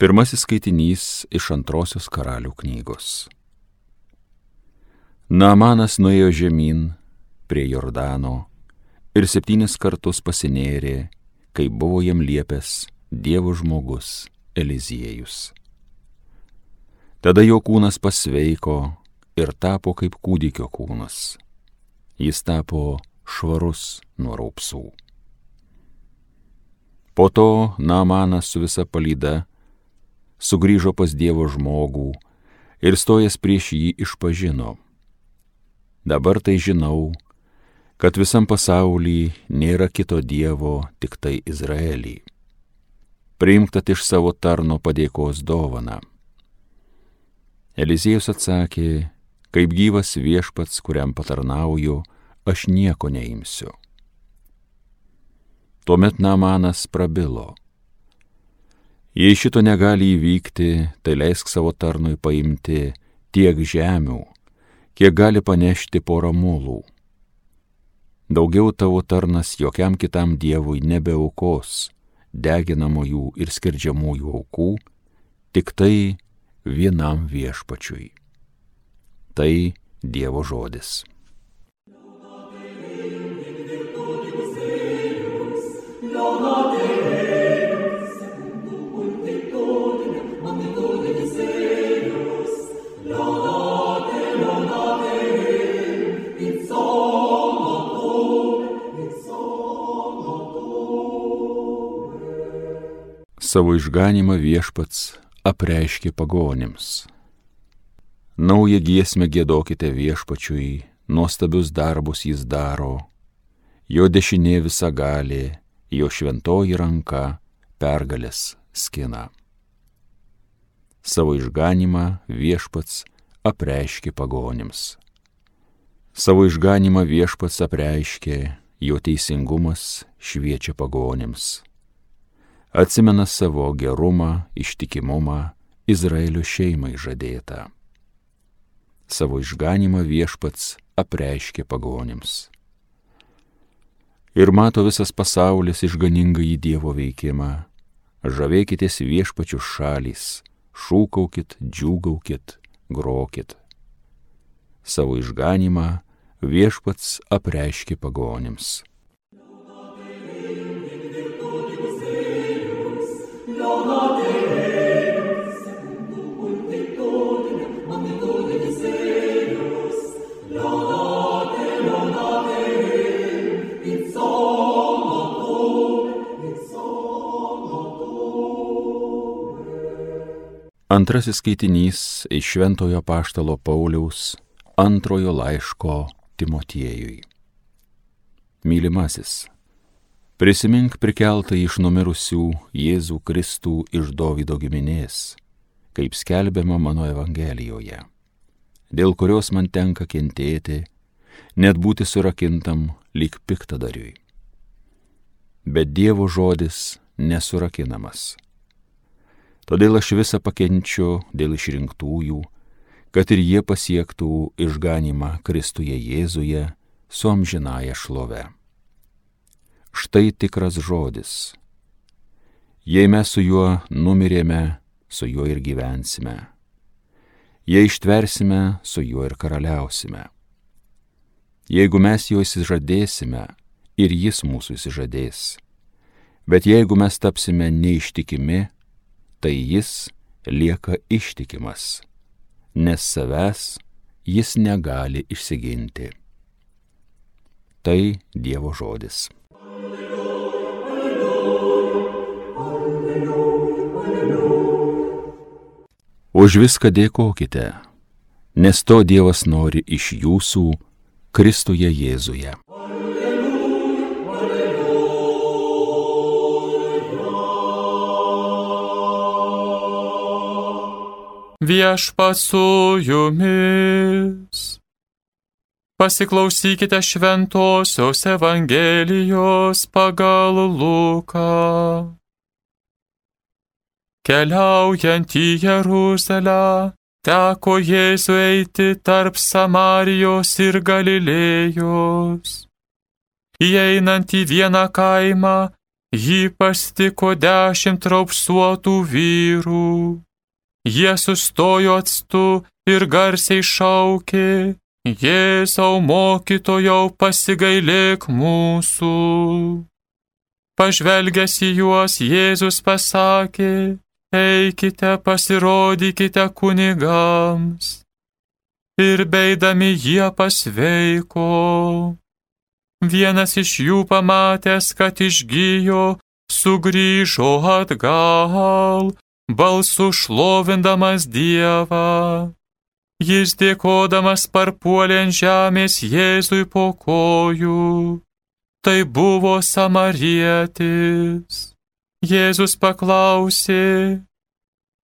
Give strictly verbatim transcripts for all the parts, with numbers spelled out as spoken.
Pirmasis skaitinys iš antrosios Karalių knygos. Naamanas nuėjo žemyn prie Jordano ir septynis kartus pasinėrė, kai buvo jam liepęs Dievo žmogus Eliziejus. Tada jo kūnas pasveiko ir tapo kaip kūdikio kūnas. Jis tapo švarus nuo raupsų. Po to Naamanas su visa palyda sugrįžo pas Dievo žmogų ir stojęs prieš jį išpažino: dabar tai žinau, kad visam pasauly nėra kito Dievo, tik tai Izraelį. Priimk tad iš savo tarno padėkos dovaną. Eliziejus atsakė: kaip gyvas viešpats, kuriam patarnauju, aš nieko neimsiu. Tuomet Naamanas prabilo: jei šito negali įvykti, tai leisk savo tarnui paimti tiek žemių, kiek gali panešti porą mulų. Daugiau tavo tarnas jokiam kitam dievui nebeaukos deginamųjų ir skerdžiamųjų aukų, tik tai vienam viešpačiui. Tai Dievo žodis. Savo išganymą viešpats apreiškė pagonims. Naują giesmę giedokite viešpačiui, nuostabius darbus jis daro, jo dešinė visagalė, jo šventoji ranka pergalės skina. Savo išganymą viešpats apreiškė pagonims. Savo išganymą viešpats apreiškė, jo teisingumas šviečia pagonims. Atsimena savo gerumą, ištikimumą Izraelio šeimai žadėtą. Savo išganymą viešpats apreiškė pagonims. Ir mato visas pasaulis išganingąjį Dievo veikimą. Žavėkitės viešpačių šalys, šūkaukit, džiūgaukit, grokit. Savo išganymą viešpats apreiškė pagonims. Antrasis skaitinys iš Šventojo apaštalo Pauliaus antrojo laiško Timotiejui. Mylimasis, prisimink prikeltą iš numirusių Jėzų Kristų iš Dovydo giminės, kaip skelbiama mano Evangelijoje, dėl kurios man tenka kentėti, net būti surakintam lyg piktadariui. Bet Dievo žodis nesurakinamas. Todėl aš visą pakenčiu dėl išrinktųjų, kad ir jie pasiektų išganymą Kristuje Jėzuje su amžinąja šlove. Štai tikras žodis. Jei mes su juo numirėme, su juo ir gyvensime. Jei ištversime, su juo ir karaliausime. Jeigu mes jo įsižadėsime, ir jis mūsų įsižadės. Bet jeigu mes tapsime neištikimi, tai jis lieka ištikimas, nes savęs jis negali išsiginti. Tai Dievo žodis. Už viską dėkokite, nes to Dievas nori iš jūsų Kristuje Jėzuje. Viešpats su jumis. Pasiklausykite šventosios Evangelijos pagal Luką. Keliaujant į Jeruzalę, teko Jėzui eiti tarp Samarijos ir Galilėjos. Įeinant į vieną kaimą, Jį pastiko dešimt raupsuotų vyrų. Jie sustojo atstu ir garsiai šaukė: Jėzau mokytojau, pasigailėk mūsų. Pažvelgęs į juos, Jėzus pasakė: Eikite, pasirodykite kunigams. Ir beidami jie pasveiko. Vienas iš jų pamatęs, kad išgijo, sugrįžo atgal, balsu šlovindamas Dievą. Jis dėkodamas parpuolė ant žemės Jėzui po kojų. Tai buvo samarietis. Jėzus paklausė: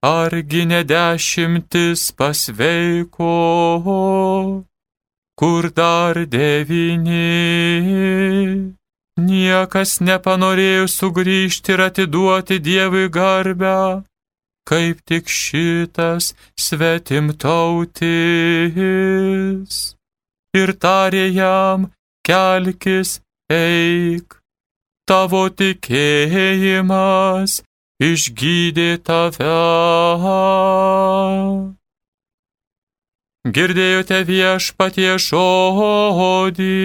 Argi ne dešimtis pasveiko? Kur dar devyni? Niekas nepanorėjo sugrįžti ir atiduoti Dievui garbę, kaip tik šitas svetimtautis. Ir tarė jam: Kelkis, eik, tavo tikėjimas išgydė tave. Girdėjote Viešpatie žodį.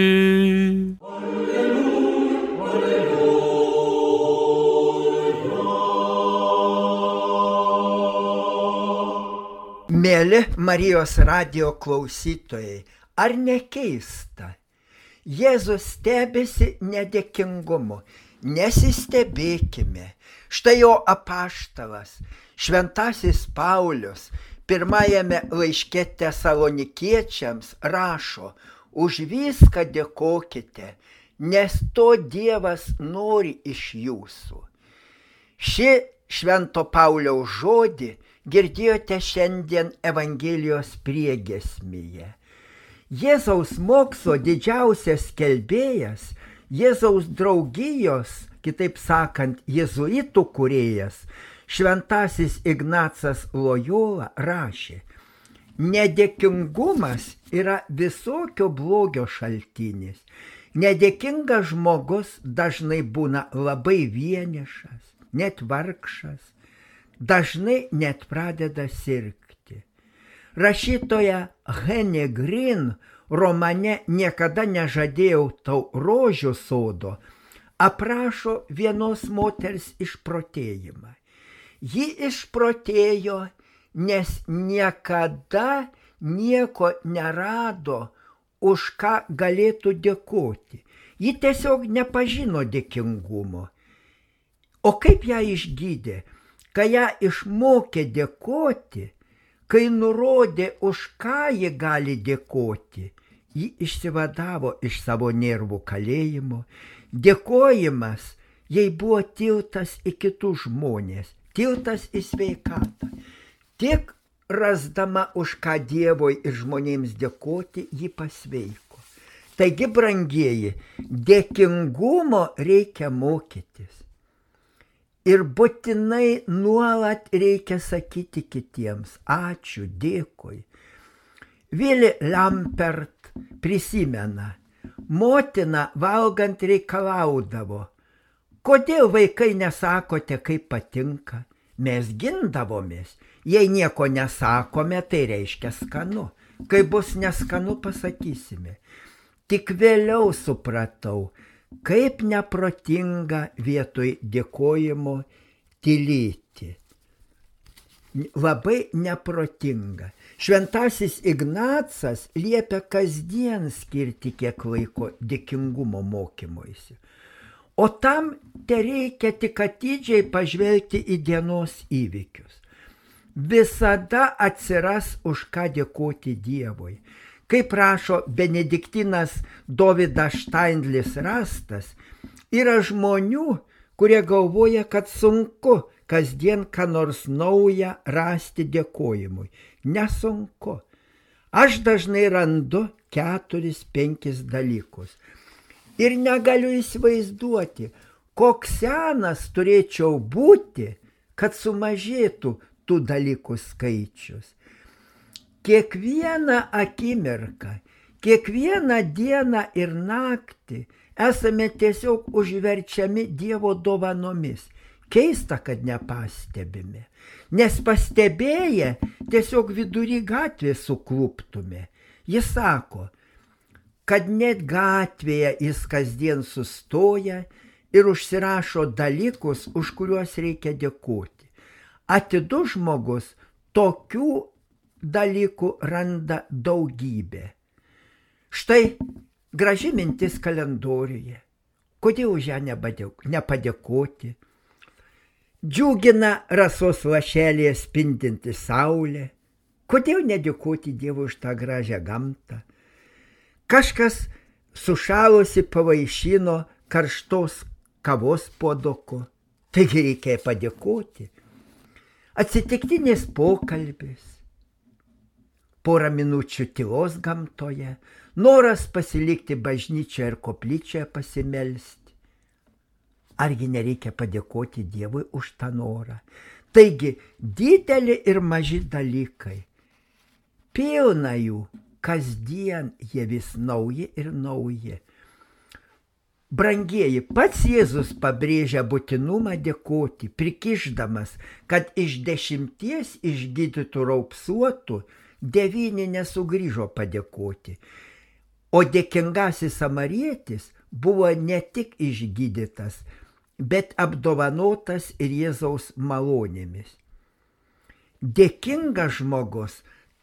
Mėly Marijos radijo klausytojai, ar ne keista? Jėzus stebisi nedėkingumu. Nesistebėkime. Štai jo apaštalas, šventasis Paulius, pirmajame laiške Tesalonikiečiams rašo: Už viską dėkokite, nes to Dievas nori iš jūsų. Šį švento Pauliaus žodį girdėjote šiandien Evangelijos priegiesmėje. Jėzaus mokslo didžiausias skelbėjas, Jėzaus draugijos, kitaip sakant, jėzuitų kūrėjas, šventasis Ignacas Lojola rašė: Nedėkingumas yra visokio blogio šaltinis. Nedėkingas žmogus dažnai būna labai vienišas, net vargšas, dažnai net pradeda sirgti. Rašytoja Henė Green romane Niekada nežadėjau tau rožių sodo aprašo vienos moters išprotėjimą. Ji išprotėjo, nes niekada nieko nerado, už ką galėtų dėkoti. Ji tiesiog nepažino dėkingumo. O kaip ją išgydė? Kai ją išmokė dėkoti, kai nurodė, už ką ji gali dėkoti, ji išsivadavo iš savo nervų kalėjimo. Dėkojimas jai buvo tiltas į kitus žmonės, tiltas į sveikatą. Tik rasdama, už ką Dievui ir žmonėms dėkoti, ji pasveiko. Taigi, brangieji, dėkingumo reikia mokytis. Ir būtinai nuolat reikia sakyti kitiems: ačiū, dėkui. Vili Lampert prisimena, motina valgant reikalaudavo: kodėl vaikai nesakote, kaip patinka? Mes gindavomės. Jei nieko nesakome, tai reiškia skanu. Kai bus neskanu, pasakysime. Tik vėliau supratau, kaip neprotinga vietoj dėkojimo tylėti. Labai neprotinga. Šventasis Ignacas liepia kasdien skirti kiek laiko dėkingumo mokymuisi. O tam tereikia tik atidžiai pažvelgti į dienos įvykius. Visada atsiras už ką dėkoti Dievui. Kaip rašo benediktinas Dovydas Štaindlis Rastas, yra žmonių, kurie galvoja, kad sunku kasdien ką nors naują rasti dėkojimui. Nesunku. Aš dažnai randu keturis, penkis dalykus. Ir negaliu įsivaizduoti, koks senas turėčiau būti, kad sumažėtų tų dalykų skaičius. Kiekvieną akimirką, kiekvieną dieną ir naktį esame tiesiog užverčiami Dievo dovanomis. Keista, kad nepastebime, nes pastebėję tiesiog vidury gatvės sukluptume. Jis sako, kad net gatvėje jis kasdien sustoja ir užsirašo dalykus, už kuriuos reikia dėkoti. Atidus žmogus tokių dalykų randa daugybę. Štai graži mintis kalendoriuje. Kodėl už ją nepadėkoti? Džiugina rasos lašelėje spindinti saulė. Kodėl nedėkoti Dievui už tą gražią gamtą? Kažkas sušalusi pavaišino karštos kavos puoduku. Taigi reikia padėkoti. Atsitiktinis pokalbis, porą minučių tylos gamtoje, noras pasilikti bažnyčioje ir koplyčioje pasimelsti. Argi nereikia padėkoti Dievui už tą norą? Taigi, dideli ir maži dalykai. Pilna jų, kasdien jie vis nauji ir nauji. Brangieji, pats Jėzus pabrėžia būtinumą dėkoti, prikišdamas, kad iš dešimties išgydytų raupsuotų devyni nesugrįžo padėkoti. O dėkingasis samarietis buvo ne tik išgydytas, bet apdovanotas ir Jėzaus malonėmis. Dėkingas žmogus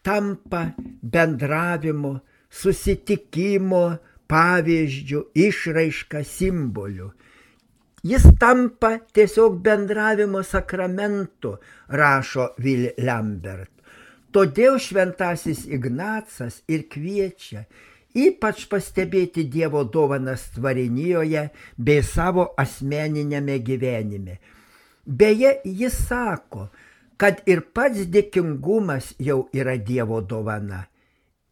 tampa bendravimo, susitikimo pavyzdžių, išraiška, simboliu. Jis tampa tiesiog bendravimo sakramentu, rašo Will Lambert. Todėl šventasis Ignacas ir kviečia ypač pastebėti Dievo dovanas tvarinijoje bei savo asmeninėme gyvenime. Beje, jis sako, kad ir pats dėkingumas jau yra Dievo dovana.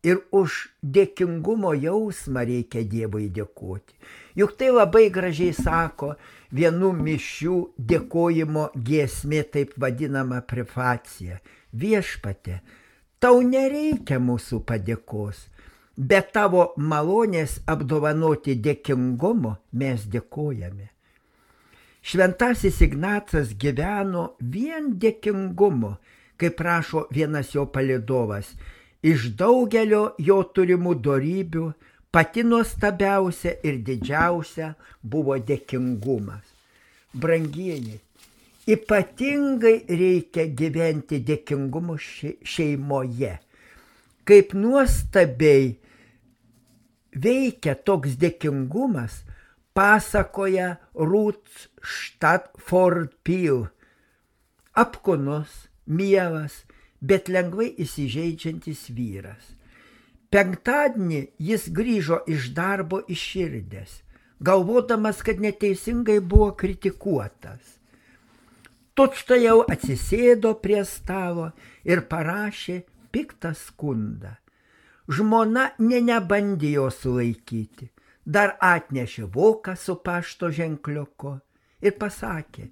Ir už dėkingumo jausmą reikia Dievui dėkoti. Juk tai labai gražiai sako vienų mišių dėkojimo giesmė, taip vadinama prefacija. Viešpatie, tau nereikia mūsų padėkos, bet tavo malonės apdovanoti dėkingumo mes dėkojame. Šventasis Ignacas gyveno vien dėkingumu, kaip rašo vienas jo palydovas. Iš daugelio jo turimų dorybių pati nuostabiausia ir didžiausia buvo dėkingumas. Brangieji, ypatingai reikia gyventi dėkingumu šeimoje. Kaip nuostabiai veikia toks dėkingumas, pasakoja Ruth Stafford Peale. Apkūnus, mielas, bet lengvai įsižeidžiantis vyras. Penktadienį jis grįžo iš darbo išširdęs, galvodamas, kad neteisingai buvo kritikuotas. Tučtuojau atsisėdo prie stalo ir parašė piktą skundą. Žmona nė nebandė jo sulaikyti, dar atnešė voką su pašto ženkliuku ir pasakė: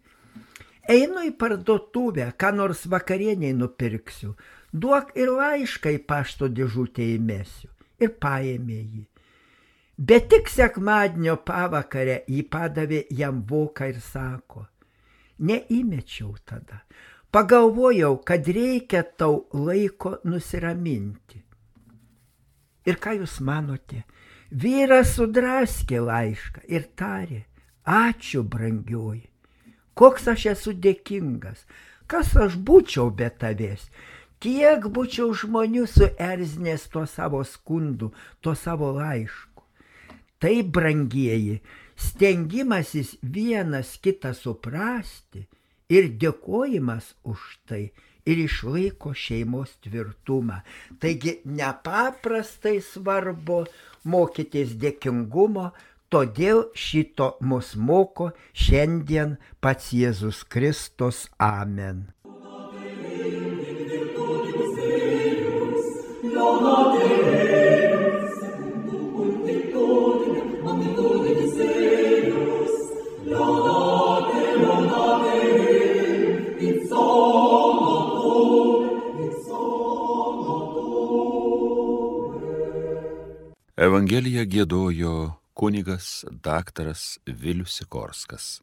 einu į parduotuvę, ką nors vakarieniai nupirksiu, duok ir laišką į pašto dėžutę įmesiu. Ir paėmė jį. Bet tik sekmadienio pavakarę jį padavė jam voką ir sako: neįmečiau tada. Pagalvojau, kad reikia tau laiko nusiraminti. Ir ką jūs manote? Vyras sudraskė laišką ir tarė: ačiū, brangioji. Koks aš esu dėkingas, kas aš būčiau be tavęs, kiek būčiau žmonių suerzinęs tuo savo skundu, tuo savo laišku. Tai, brangieji, stengimasis vienas kitą suprasti ir dėkojimas už tai ir išlaiko šeimos tvirtumą. Taigi nepaprastai svarbu mokytis dėkingumo, todėl šito mus moko šiandien pats Jėzus Kristus. Amen. Evangeliją giedojo kunigas daktaras Vilius Sikorskas.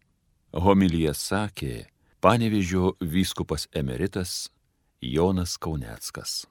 Homiliją sakė Panevėžio vyskupas emeritas Jonas Kauneckas.